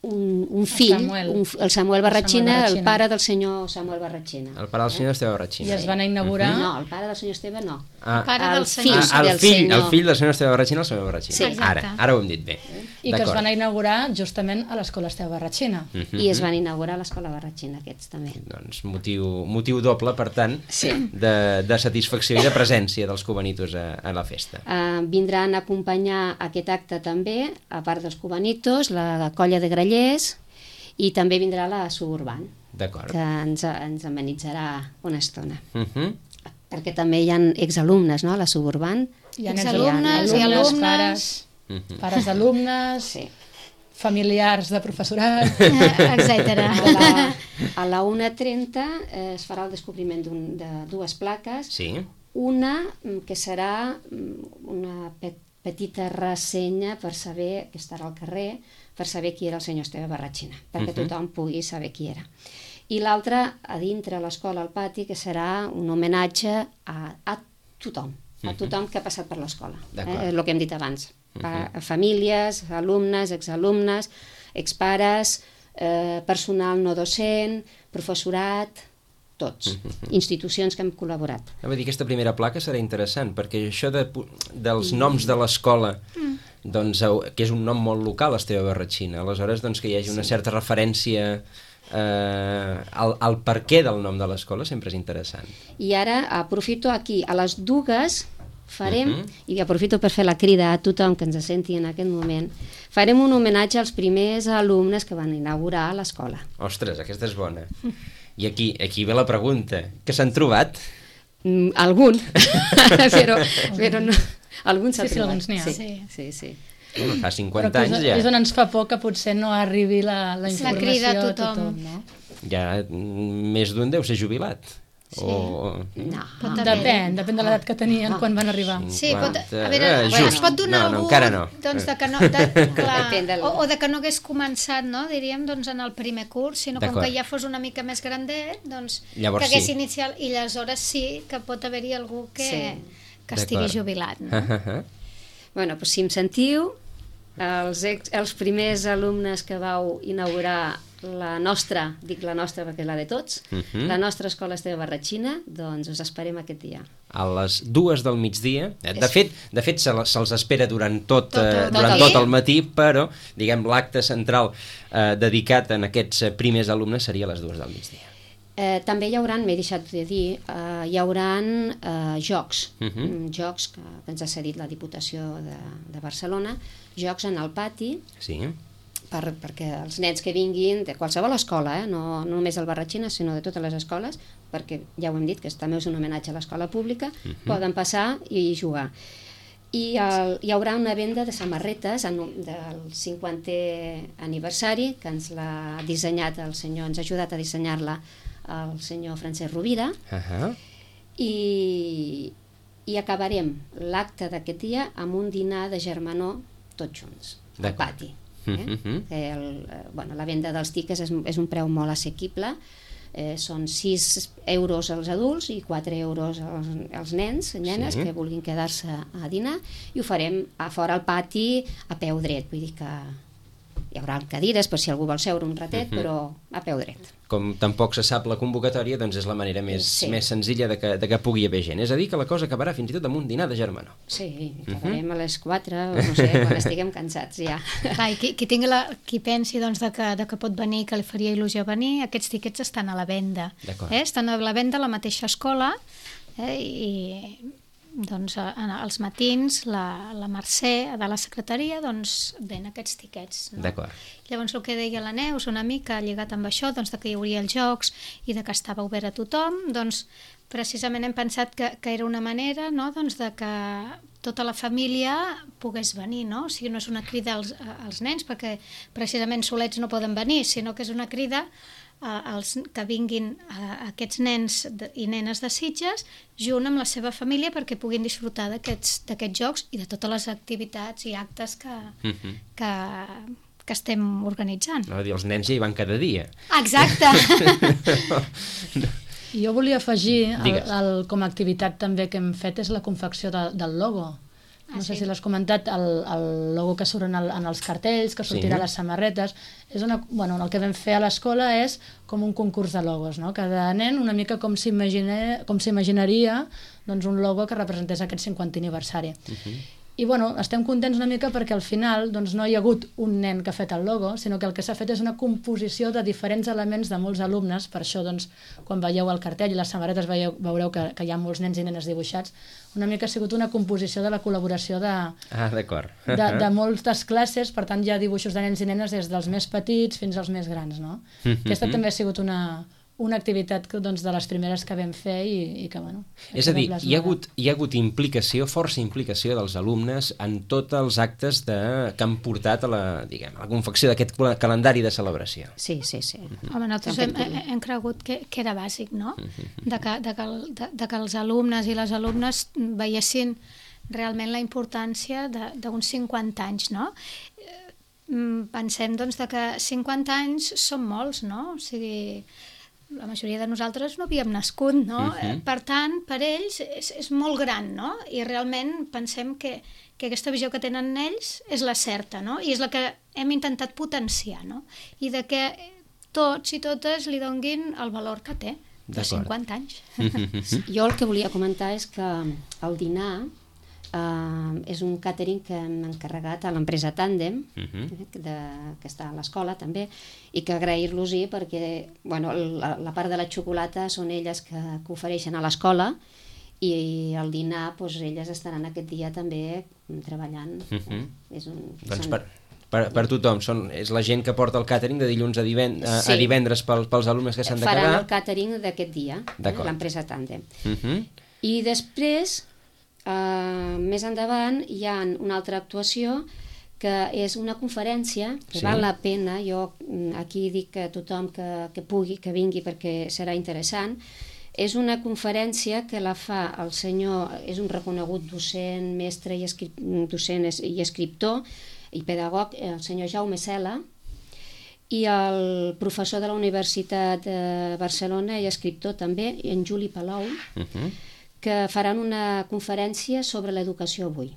C: un, un fill, el Samuel, un, el Samuel Barratxina, Samuel el pare del senyor Samuel Barratxina.
B: El pare del senyor Esteve Barratxina.
D: I es van inaugurar...
C: No, el pare del senyor Esteve no.
B: Ah,
E: el pare
C: el
E: del senyor.
C: fill,
B: ah, el,
C: del
B: fill
C: senyor.
B: el fill del senyor Esteve Barratxina, el senyor Barratxina.
C: Sí,
B: ara, ara ho hem dit bé.
D: I que es van inaugurar justament a l'escola Esteve Barratxina.
B: Uh -huh.
C: I es van inaugurar a l'escola Barratxina, aquests també.
B: Doncs motiu, motiu doble, per tant,
C: sí.
B: de, de satisfacció i de presència dels cubanitos a, a la festa.
C: Uh, vindran a acompanyar aquest acte també, a part dels cubanitos, la colla de grallers, i també vindrà la Suburban,
B: D'acord.
C: que ens, ens amenitzarà una estona.
B: Uh -huh.
C: Perquè també hi ha exalumnes, no?, a la Suburban.
D: Hi ha
E: exalumnes, hi ha alumnes,
D: pares, uh -huh. pares d'alumnes,
C: sí.
D: familiars de professorat,
E: etcètera.
C: A la, a la una trenta eh, es farà el descobriment de dues plaques.
B: Sí.
C: Una que serà una pe petita ressenya per saber, que estarà al carrer, per saber qui era el senyor Esteve Barratxina, perquè uh -huh. tothom pugui saber qui era. I l'altra, a dintre l'escola, al pati, que serà un homenatge a, a tothom, a tothom que ha passat per l'escola. Eh? El que hem dit abans. Uh -huh. a famílies, alumnes, exalumnes, expares, eh, personal no docent, professorat, tots, uh -huh. institucions que hem col·laborat.
B: Vull dir, aquesta primera placa serà interessant, perquè això de, dels noms de l'escola, mm. doncs, que és un nom molt local, Esteve Barratxina, aleshores doncs, que hi hagi una certa referència eh, al, al per què del nom de l'escola sempre és interessant.
C: I ara aprofito aquí, a les dues farem, uh -huh. i aprofito per fer la crida a tothom que ens senti en aquest moment, farem un homenatge als primers alumnes que van inaugurar l'escola.
B: Ostres, aquesta és bona. I aquí, aquí ve la pregunta, què s'han trobat?
C: Mm, algun, però, però no, algun s'ha
D: sí,
C: trobat.
D: Sí,
C: sí,
E: sí.
C: sí, sí.
B: Bueno, fa cinquanta
D: anys
B: anys ja.
D: És on ens fa por que potser no arribi la, la informació
E: la crida a
D: a
E: tothom.
D: tothom, no?
B: Ja més d'un deu ser jubilat.
C: Sí.
B: O...
C: No.
D: Depèn, depèn de l'edat que tenien quan van arribar.
E: Sí, pot, a
B: cinquanta,
E: veure,
B: eh,
E: bueno,
B: just.
E: es pot donar
B: No, no,
E: algú
B: encara no.
E: doncs, de que no, de, clar,
C: del...
E: o, o de que no hagués començat, no, diríem, doncs, en el primer curs, sinó com que ja fos una mica més grandet, doncs,
B: llavors
E: que hagués
B: sí.
E: iniciat, i aleshores sí que pot haver-hi algú que,
C: Sí.
E: que estigui jubilat. No?
C: Bueno, doncs si em sentiu, els, ex, els primers alumnes que vau inaugurar la nostra, dic la nostra perquè és la de tots, uh -huh. la nostra escola Esteve Barratxina, doncs us esperem aquest dia.
B: A les dues del migdia. De fet, de fet se se'ls espera durant tot,
E: tot,
B: eh,
E: tot,
B: durant
E: tot,
B: tot el matí, però diguem l'acte central eh, dedicat a aquests primers alumnes seria a les dues del migdia.
C: Eh, també hi haurà, m'he deixat de dir, eh, hi haurà eh, jocs, uh
B: Uh-huh.
C: -huh. jocs que, que ens ha cedit la Diputació de, de Barcelona, jocs en el pati,
B: Sí.
C: per, perquè els nens que vinguin de qualsevol escola, eh, no, no només el Barratxina, sinó de totes les escoles, perquè ja ho hem dit, que també és un homenatge a l'escola pública, uh -huh. poden passar i jugar. I el, hi haurà una venda de samarretes en, del cinquantè aniversari, que ens l'ha dissenyat el senyor, ens ha ajudat a dissenyar-la el senyor Francesc Rovira,
B: Uh -huh.
C: i, i acabarem l'acte d'aquest dia amb un dinar de germanor tots junts, al pati. Eh? Uh -huh. El, bueno, la venda dels tiquets és, és un preu molt assequible, eh, són sis euros als adults i quatre euros als, als nens, nenes, sí. que vulguin quedar-se a dinar, i ho farem a fora al pati a peu dret, vull dir que hi haurà cadires per si algú vol seure un ratet, uh -huh. però a peu dret.
B: Com tampoc se sap la convocatòria, doncs és la manera més, sí. més senzilla de que, de que pugui haver gent. És a dir, que la cosa acabarà fins i tot amb un dinar de germanor.
C: Sí, acabarem uh -huh. a les quatre, o no sé, quan estiguem cansats ja.
E: Clar, i qui, qui, tingui la, qui pensi doncs, de, que, de que pot venir, que li faria il·lusió venir, aquests tiquets estan a la venda. Eh? Estan a la venda a la mateixa escola, eh? I doncs, als matins, la, la Mercè de la secretaria doncs, ven aquests tiquets. No?
B: D'acord.
E: Llavors, el que deia la Neus, una mica lligat amb això, doncs, de que hi hauria els jocs i de que estava obert a tothom, doncs, precisament hem pensat que, que era una manera, no?, doncs, de que tota la família pogués venir, no? O sigui, no és una crida als, als nens, perquè precisament solets no poden venir, sinó que és una crida Els, que vinguin uh, aquests nens de, i nenes de Sitges junt amb la seva família perquè puguin disfrutar d'aquests d'aquests jocs i de totes les activitats i actes que, uh-huh. que, que estem organitzant.
B: No, dir, els nens ja hi van cada dia.
E: Exacte!
D: Jo volia afegir, el, el, com a activitat també que hem fet és la confecció de, del logo. No ah, sé sí. si l'has comentat, el, el logo que surt en, el, en els cartells, que sortirà sí. a les samarretes. És una, bueno, el que vam fer a l'escola és com un concurs de logos, no? Cada nen una mica com s'imaginaria doncs, un logo que representés aquest cinquantè aniversari. Uh-huh. I bueno, estem contents una mica perquè al final doncs, no hi ha hagut un nen que ha fet el logo, sinó que el que s'ha fet és una composició de diferents elements de molts alumnes. Per això, doncs, quan veieu el cartell i les samarretes veieu, veureu que, que hi ha molts nens i nenes dibuixats. Una mica ha sigut una composició de la col·laboració de,
B: ah, d'acord.
D: de, de moltes classes, per tant hi ha dibuixos de nens i nenes des dels més petits fins als més grans, no? Mm-hmm. Aquesta també ha sigut una... una activitat doncs, de les primeres que vam fer i, i que, bueno...
B: És a dir, hi ha, hagut, hi ha hagut implicació, força implicació dels alumnes en tots els actes de, que han portat a la, diguem, a la confecció d'aquest calendari de celebració.
C: Sí, sí, sí.
E: Uh-huh. Home, nosaltres hem, hem, hem cregut que, que era bàsic, no? Uh-huh. De, que, de, que, de, de que els alumnes i les alumnes veiessin realment la importància d'uns cinquanta anys, no? Pensem, doncs, de que cinquanta anys són molts, no? O sigui... la majoria de nosaltres no havíem nascut, no? Uh-huh. Per tant, per ells és, és molt gran, no? I realment pensem que, que aquesta visió que tenen ells és la certa, no? I és la que hem intentat potenciar, no? I de que tots i totes li donguin el valor que té, de cinquanta anys.
C: Uh-huh. Jo el que volia comentar és que el dinar Uh, és un catering que hem encarregat a l'empresa Tàndem, uh-huh. de, que està a l'escola també, i que agrair-los-hi perquè bueno, la, la part de la xocolata són elles que, que ofereixen a l'escola i el dinar, doncs, elles estaran aquest dia també treballant. Uh-huh. És un,
B: doncs
C: són...
B: per, per, per tothom, són, és la gent que porta el càtering de dilluns a, divend a, sí. a divendres pel, pels alumnes que s'han de quedar.
C: Faran el càtering d'aquest dia, eh, l'empresa Tàndem. Uh-huh. I després... Uh, més endavant hi ha una altra actuació que és una conferència que sí. val la pena, jo aquí dic a tothom que, que pugui, que vingui perquè serà interessant. És una conferència que la fa el senyor, és un reconegut docent, mestre i, escrip, docent i escriptor i pedagog, el senyor Jaume Cela, i el professor de la Universitat de Barcelona i escriptor també, en Juli Palou, uh-huh. que faran una conferència sobre l'educació avui.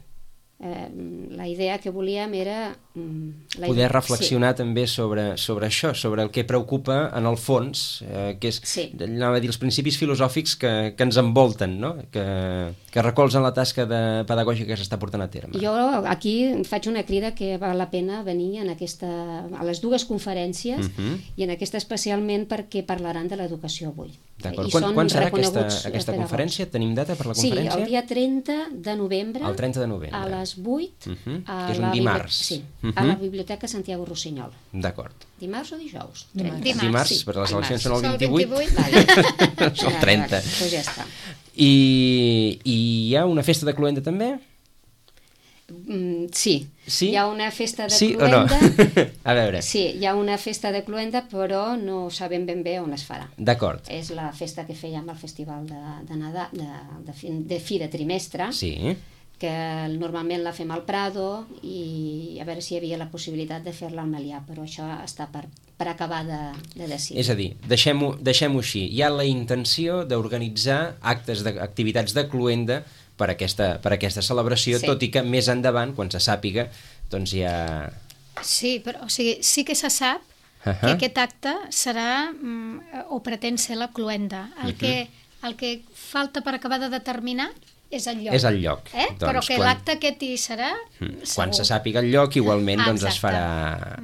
C: Eh, la idea que volíem era... Mm, la
B: poder reflexionar sí. també sobre, sobre això, sobre el que preocupa en el fons, eh, que és sí. anava a dir, els principis filosòfics que, que ens envolten, no? que, que recolzen la tasca de pedagògica que s'està portant a terme.
C: Jo aquí faig una crida que val la pena venir en aquesta, a les dues conferències uh-huh. i en aquesta especialment perquè parlaran de l'educació avui.
B: D'acord. Quan, quan serà aquesta, aquesta conferència? Tenim data per la conferència?
C: Sí, el dia trenta de novembre,
B: el trenta de novembre.
C: a les vuit,
B: uh-huh.
C: a
B: que és un dimarts.
C: Sí, uh-huh. a la Biblioteca Santiago Rossinyol.
B: Dimarts.
C: Dimarts o dijous?
D: Dimarts,
C: dimarts,
B: dimarts
C: sí.
B: perquè les eleccions són el
E: vint-i-vuit.
B: vint-i-vuit.
C: Vale.
B: És el trenta.
C: Doncs ja està.
B: I, I hi ha una festa de cloenda també?
C: Mm, sí.
B: sí,
C: hi ha una festa de
B: sí
C: cloenda.
B: No? A veure.
C: Sí, hi ha una festa de cloenda, però no sabem ben bé on es farà.
B: D'acord.
C: És la festa que fèiem al Festival de, de Nadal, de, de, fi, de fi de trimestre,
B: sí.
C: que normalment la fem al Prado i a veure si hi havia la possibilitat de fer-la al Melià, però això està per, per acabar de, de decidir.
B: És a dir, deixem-ho deixem-ho així. Hi ha la intenció d'organitzar actes d'activitats de cloenda per aquesta, per aquesta celebració, sí. tot i que més endavant, quan se sàpiga, doncs ja...
E: Sí, però o sigui, sí que se sap uh-huh. que aquest acte serà mm, o pretén ser la cloenda. El, uh-huh. que, el que falta per acabar de determinar és el lloc.
B: És el lloc.
E: Eh? Doncs però que quan... l'acte aquest hi serà,
B: hmm. Quan se sàpiga el lloc, igualment ah, doncs es, farà,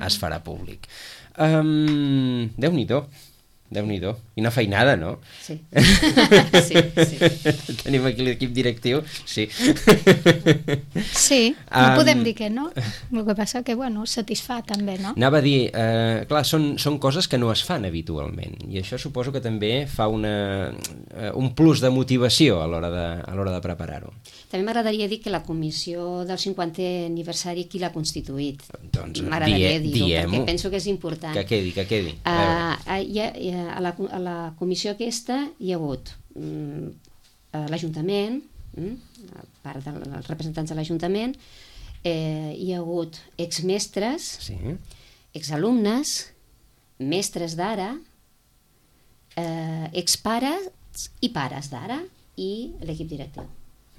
B: es farà públic. Um, Déu-n'hi-do. Déu-n'hi-do. I una feinada, no?
C: Sí. sí, sí.
B: Tenim aquí l'equip directiu. Sí.
E: Sí, no
B: Um,
E: podem dir que no. El que passa que, bueno, satisfà també, no?
B: Anava a dir, eh, clar, són, són coses que no es fan habitualment i això suposo que també fa una, eh, un plus de motivació a l'hora de, a l'hora de preparar-ho.
C: També m'agradaria dir que la comissió del cinquantè aniversari, qui l'ha constituït?
B: Doncs
C: M'agradaria
B: die,
C: dir-ho,
B: diem-ho.
C: perquè penso que és important.
B: Que quedi, que quedi.
C: Uh, a, hi ha, hi ha, a, la, a la comissió aquesta hi ha hagut um, l'Ajuntament, um, a part dels representants de l'Ajuntament, eh, hi ha hagut exmestres,
B: Sí.
C: exalumnes, mestres d'ara, eh, expares i pares d'ara i l'equip directiu.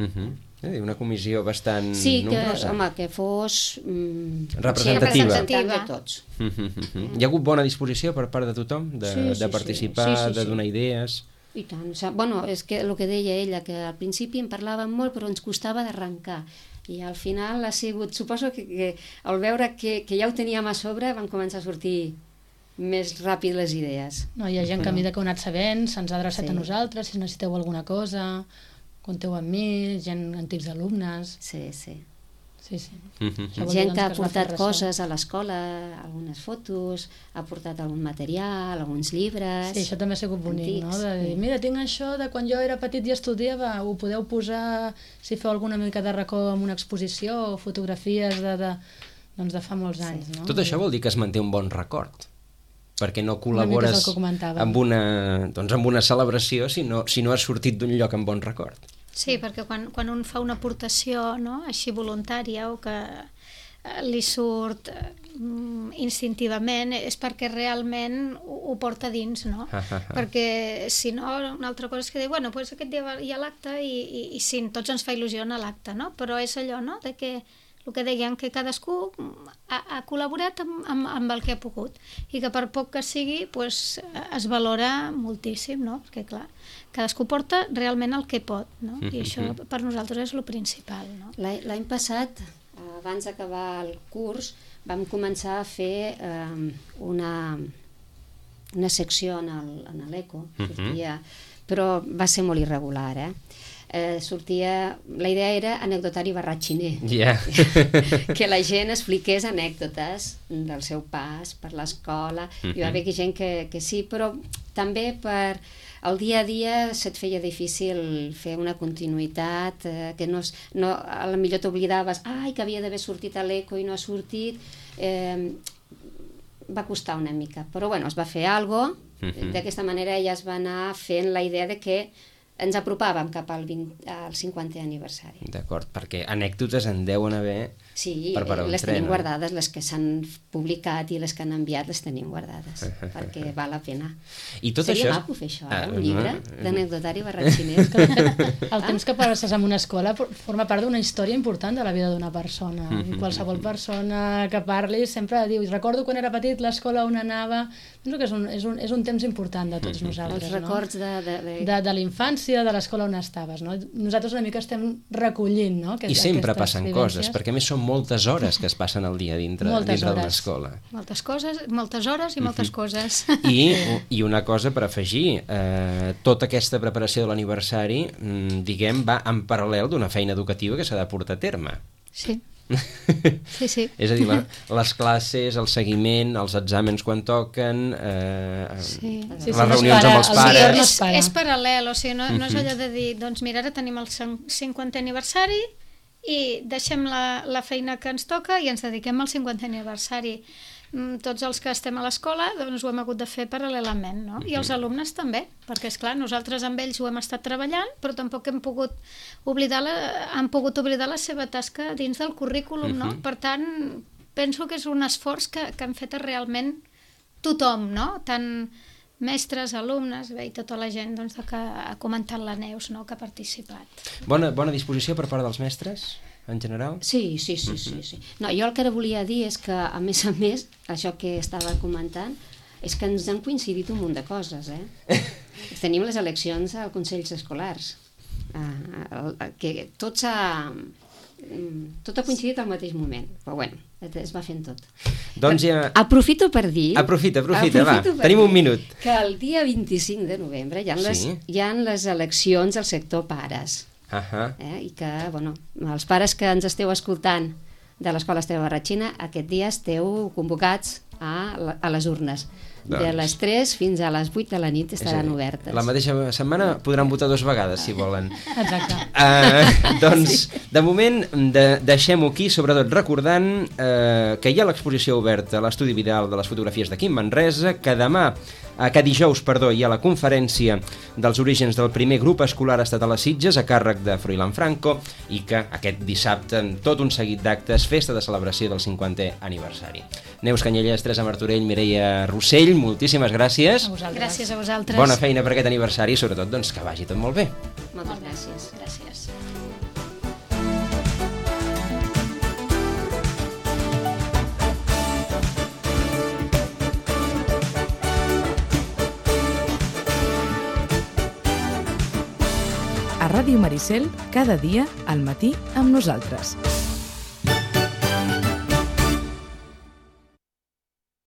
B: Uh -huh. eh, una comissió bastant
C: Sí, que,
B: nombrosa.
C: home, que fos mm,
B: Representativa.
C: representativa de tots.
B: Uh -huh, uh -huh. Hi ha hagut bona disposició per part de tothom de,
C: Sí, sí,
B: de
C: sí.
B: participar,
C: Sí, sí,
B: de
C: sí.
B: donar idees...
C: I tant. O sigui, bueno, és que el que deia ella, que al principi en parlàvem molt però ens costava d'arrencar. I al final ha sigut... Suposo que, que al veure que, que ja ho teníem a sobre van començar a sortir més ràpid les idees.
D: No, hi ha gent que a mesura que ho ha anat sabent se'ns ha adreçat
C: Sí.
D: a nosaltres, si necessiteu alguna cosa, compteu amb mi, gent, antics alumnes...
C: Sí, sí.
D: Sí, sí.
B: Uh -huh.
D: Això vol dir,
C: Gent
D: doncs,
C: que ha
D: es va fer
C: portat
D: ressò.
C: coses a l'escola, algunes fotos, ha portat algun material, alguns llibres...
D: Sí, això també ha sigut bonic,
C: antics,
D: no? De dir,
C: sí.
D: mira, tinc això de quan jo era petit i estudiava, ho podeu posar si feu alguna mica de racó amb una exposició o fotografies de, de, doncs de fa molts anys, no?
B: Tot això vol dir que es manté un bon record, perquè no
D: Una mica és
B: col·labores
D: el que comentàvem.
B: amb una, doncs amb una celebració si no, si no has sortit d'un lloc amb bon record.
E: Sí, perquè quan, quan un fa una aportació, no?, així voluntària o que eh, li surt eh, instintivament, és perquè realment ho, ho porta dins, no? Perquè si no, una altra cosa és que diu, bueno, doncs aquest dia hi ha l'acte i, i, i sí, tots ens fa il·lusió anar a l'acte, no? Però és allò, no?, de que el que deien, que cadascú ha, ha col·laborat amb, amb, amb el que ha pogut i que per poc que sigui pues, es valora moltíssim, no? Perquè clar, cadascú porta realment el que pot, no? I això per nosaltres és el principal, no?
C: L'any passat, abans d'acabar el curs, vam començar a fer eh, una, una secció en l'Eco, sortia, però va ser molt irregular, eh? Eh, sortia, la idea era anecdotari barratxiner,
B: Yeah.
C: que la gent expliqués anècdotes del seu pas per l'escola. Uh-huh. Hi va haver gent que, que sí, però també per el dia a dia se't feia difícil fer una continuïtat, eh, que no, no, a la millor t'oblidaves, ai, que havia d'haver sortit a l'Eco i no ha sortit, eh, va costar una mica, però bueno, es va fer alguna cosa, uh-huh. D'aquesta manera ja es va anar fent la idea de que ens apropàvem cap al, vint, al cinquantè aniversari.
B: D'acord, perquè anècdotes en deuen haver
C: sí,
B: per parar un
C: les
B: tren.
C: tenim guardades, les que s'han publicat i les que han enviat les tenim guardades, perquè val la pena.
B: I tot
C: Seria
B: això...
C: maco fer això, eh?
B: Ah,
C: Un llibre
B: no.
C: d'anecdotari barratxiner.
D: El temps que passes en una escola forma part d'una història important de la vida d'una persona. I qualsevol persona que parli sempre diu, recordo quan era petit l'escola on anava... Penso que és un, és un, és un temps important de tots nosaltres,
C: Els records
D: no?
C: de... de, de...
D: de, de la infància, de l'escola on estaves, no? Nosaltres una mica estem recollint, no? Aquest,
B: I sempre passen
D: vivències.
B: coses, perquè a més són moltes hores que es passen al dia dintre,
D: Moltes
B: dintre d'una
D: hores.
B: escola.
E: Moltes coses, moltes hores i moltes coses.
B: I, I una cosa per afegir, eh, tota aquesta preparació de l'aniversari, mm, diguem, va en paral·lel d'una feina educativa que s'ha de portar a terme.
E: Sí. Sí, sí.
B: És a dir, la, les classes, el seguiment, els exàmens quan toquen, eh,
E: Sí.
B: les
D: Sí, sí, no es
B: reunions
D: para,
B: amb els
D: el
B: pares...
D: millor no
E: és,
D: es para.
E: és paral·lel, o sigui, no, no és allò de dir, doncs mira, ara tenim el cinquantè aniversari i deixem la, la feina que ens toca i ens dediquem al cinquantè aniversari. Mm, Tots els que estem a l'escola doncs ho hem hagut de fer paral·lelament, no? I els alumnes també, perquè és clar, nosaltres amb ells ho hem estat treballant, però tampoc hem pogut oblidar la, han pogut oblidar la seva tasca dins del currículum, no? Per tant, penso que és un esforç que, que han fet realment tothom, no? Tant mestres, alumnes, bé, i tota la gent doncs, que ha comentat la Neus, no? Que ha participat.
B: Bona, bona disposició per part dels mestres, en general?
C: Sí, sí, sí, sí, sí. No, jo el que ara volia dir és que, a més a més, això que estava comentant, és que ens han coincidit un munt de coses, eh? Tenim les eleccions als consells escolars, eh, que tot s'ha tot ha coincidit al mateix moment, però bueno, es va fent tot.
B: Doncs ja...
C: Aprofito per dir...
B: Aprofita, aprofita,
C: aprofito
B: va, tenim
C: dir
B: un minut.
C: Que el dia vint-i-cinc de novembre hi ha, les,
B: Sí.
C: hi ha les eleccions al sector pares.
B: Ahà.
C: Eh? I que, bueno, els pares que ens esteu escoltant de l'Escola Esteve Barratxina, aquest dia esteu convocats a, la, a les urnes. Doncs. De les tres fins a les vuit de la nit estaran
B: dir,
C: obertes.
B: La mateixa setmana podran votar dues vegades, si volen.
D: Exacte.
B: Uh, doncs, sí. De moment, de, deixem-ho aquí, sobretot recordant uh, que hi ha l'exposició oberta a l'Estudi Vidal de les fotografies de Quim Manresa, que demà, uh, que dijous, perdó, hi ha la conferència dels orígens del primer grup escolar estatal a Sitges, a càrrec de Froilán Franco, i que aquest dissabte, en tot un seguit d'actes, festa de celebració del cinquantè aniversari. Neus Canyelles, Teresa Martorell, Mireia Rossell, moltíssimes gràcies.
D: A vosaltres.
E: Gràcies a vosaltres.
B: Bona feina per aquest aniversari i sobretot doncs, que vagi tot molt bé.
C: Moltes gràcies.
E: Gràcies.
A: A Ràdio Maricel, cada dia al matí amb nosaltres.